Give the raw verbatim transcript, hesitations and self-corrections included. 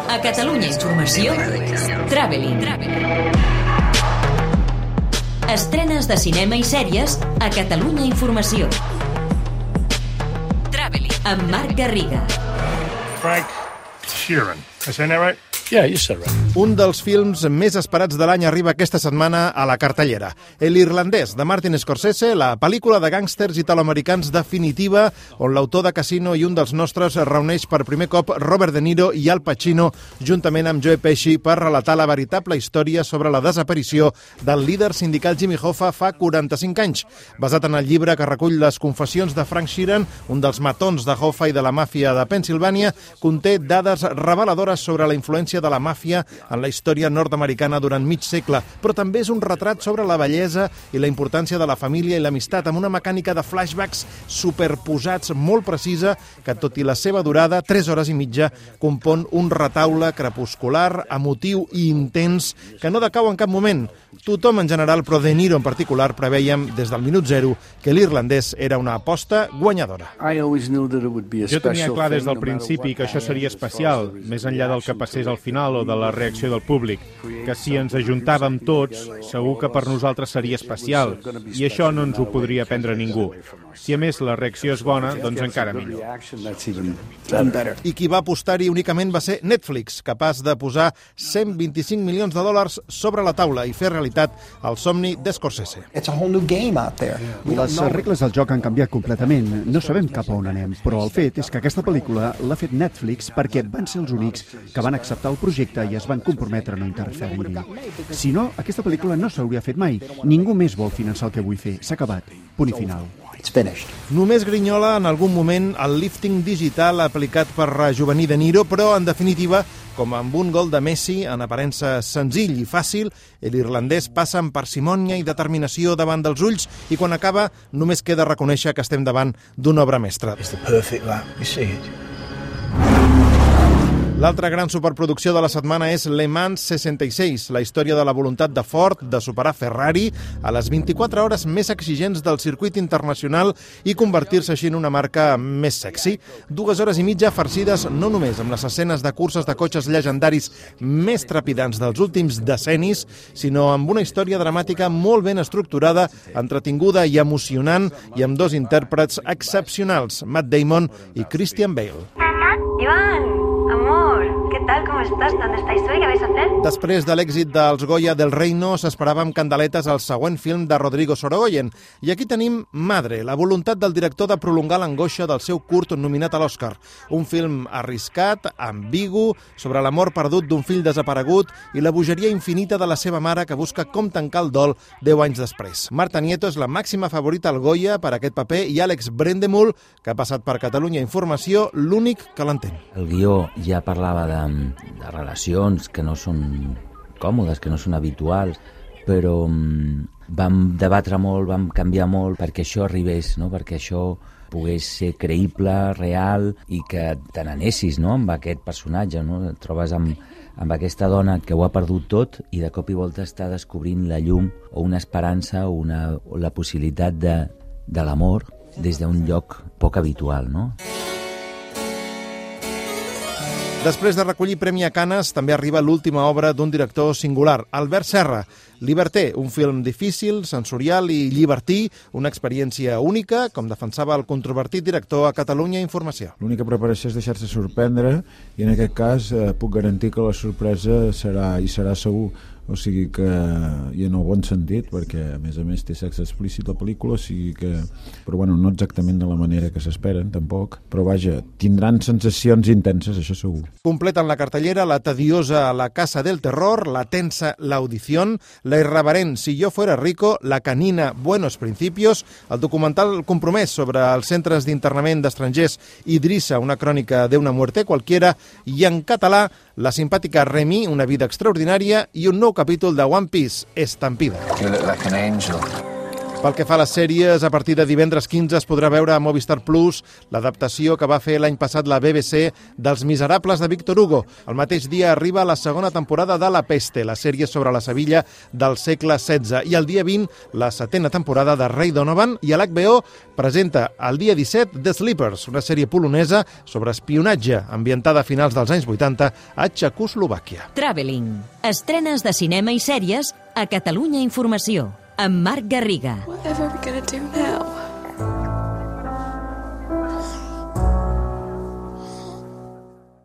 A Catalunya Informació, Traveling. Estrenes de cinema i sèries a Catalunya Informació. Traveling, amb Marc Garriga. Frank Sheeran. I saying that right? Yeah, you said right. Un dels films més esperats de l'any arriba aquesta setmana a la cartellera. El irlandès, de Martin Scorsese, la pel·lícula de gàngsters italoamericans definitiva, on l'autor de Casino i un dels nostres reuneix per primer cop Robert De Niro i Al Pacino, juntament amb Joe Pesci, per relatar la veritable història sobre la desaparició del líder sindical Jimmy Hoffa fa quaranta-cinc anys. Basat en el llibre que recull les confessions de Frank Sheeran, un dels matons de Hoffa i de la màfia de Pennsilvània, conté dades reveladores sobre la influència de la màfia en la història nord-americana durant mig segle, però també és un retrat sobre la bellesa i la importància de la família i l'amistat, amb una mecànica de flashbacks superposats molt precisa que, tot i la seva durada, tres hores i mitja, compon un retaule crepuscular, emotiu i intens que no decau en cap moment. Tothom en general, però De Niro en particular, prevèiem des del minut zero que l'irlandès era una aposta guanyadora. Jo tenia clar des del principi que això seria especial, més enllà del que passés al final o de la reacció del públic, que si ens ajuntàvem tots, segur que per nosaltres seria especial, i això no ens ho podria prendre ningú. Si a més la reacció és bona, doncs encara millor. I qui va apostar-hi únicament va ser Netflix, capaç de posar cent vint-i-cinc milions de dòlars sobre la taula i fer realitat el somni d'Scorsese. Les regles del joc han canviat completament. No sabem cap a on anem, però el fet és que aquesta pel·lícula l'ha fet Netflix perquè van ser els únics que van acceptar el projecte i es van comprometre a no interferir-hi. Si no, aquesta pel·lícula no s'hauria fet mai. Ningú més vol finançar el que vull fer. S'ha acabat. Punt i final. Només grinyola en algun moment el lifting digital aplicat per rejovenir De Niro, però en definitiva, com amb un gol de Messi en aparença senzill i fàcil, l'irlandès passa amb parsimònia i determinació davant dels ulls i quan acaba només queda reconèixer que estem davant d'una obra mestra. L'altra gran superproducció de la setmana és Le Mans seixanta-sis, la història de la voluntat de Ford de superar Ferrari a les vint-i-quatre hores més exigents del circuit internacional i convertir-se així en una marca més sexy. Dues hores i mitja farcides no només amb les escenes de curses de cotxes llegendaris més trepidants dels últims decennis, sinó amb una història dramàtica molt ben estructurada, entretinguda i emocionant, i amb dos intèrprets excepcionals, Matt Damon i Christian Bale. Iván, amor, ¿qué tal? ¿Cómo estás? ¿Dónde estáis hoy? ¿Qué vais a hacer? Després de l'èxit dels Goya del Reino, s'esperava amb candeletes el següent film de Rodrigo Sorogoyen. I aquí tenim Madre, la voluntat del director de prolongar l'angoixa del seu curt nominat a l'Oscar. Un film arriscat, ambigu, sobre l'amor perdut d'un fill desaparegut i la bogeria infinita de la seva mare que busca com tancar el dol deu anys després. Marta Nieto és la màxima favorita al Goya per aquest paper i Àlex Brendemul, que ha passat per Catalunya Informació, l'únic que l'entén. El guió ja parlava de, de relacions que no són còmodes, que no són habituals, però um, vam debatre molt, vam canviar molt perquè això arribés, no? Perquè això pogués ser creïble, real i que te n'anessis, no? Amb aquest personatge, no? Et trobes amb, amb aquesta dona que ho ha perdut tot i de cop i volta està descobrint la llum o una esperança o, una, o la possibilitat de, de l'amor des d'un lloc poc habitual, no? Després de recollir Premi a Canes, també arriba l'última obra d'un director singular, Albert Serra. Liberté, un film difícil, sensorial i llibertí, una experiència única, com defensava el controvertit director a Catalunya Informació. L'única preparació és deixar-se sorprendre i en aquest cas eh, puc garantir que la sorpresa serà i serà segur. O sigui que, i en el bon sentit, perquè a més a més té sexe explícit la pel·lícula, o sigui que, però bueno, no exactament de la manera que s'esperen, tampoc, però vaja, tindran sensacions intenses, això segur. Completen la cartellera la tediosa La Casa del Terror, la tensa La Audición, la irreverent Si yo fuera rico, la canina Buenos Principios, el documental compromès sobre els centres d'internament d'estrangers Idrissa, una crònica d'una muerte cualquiera, i en català la simpàtica Remy, una vida extraordinària, i un nou capítol de One Piece, Estampida. You look like an angel. Pel que fa a les sèries, a partir de divendres quinze es podrà veure a Movistar Plus l'adaptació que va fer l'any passat la B B C dels Miserables de Víctor Hugo. El mateix dia arriba la segona temporada de La Peste, la sèrie sobre la Sevilla del segle setze, i el dia vint la setena temporada de Ray Donovan, i a l'H B O presenta el dia disset The Sleepers, una sèrie polonesa sobre espionatge ambientada a finals dels anys vuitanta a Txecoslovàquia. Traveling. Estrenes de cinema i sèries a Catalunya Informació. Amb Marc Garriga. Whatever are we gonna do now?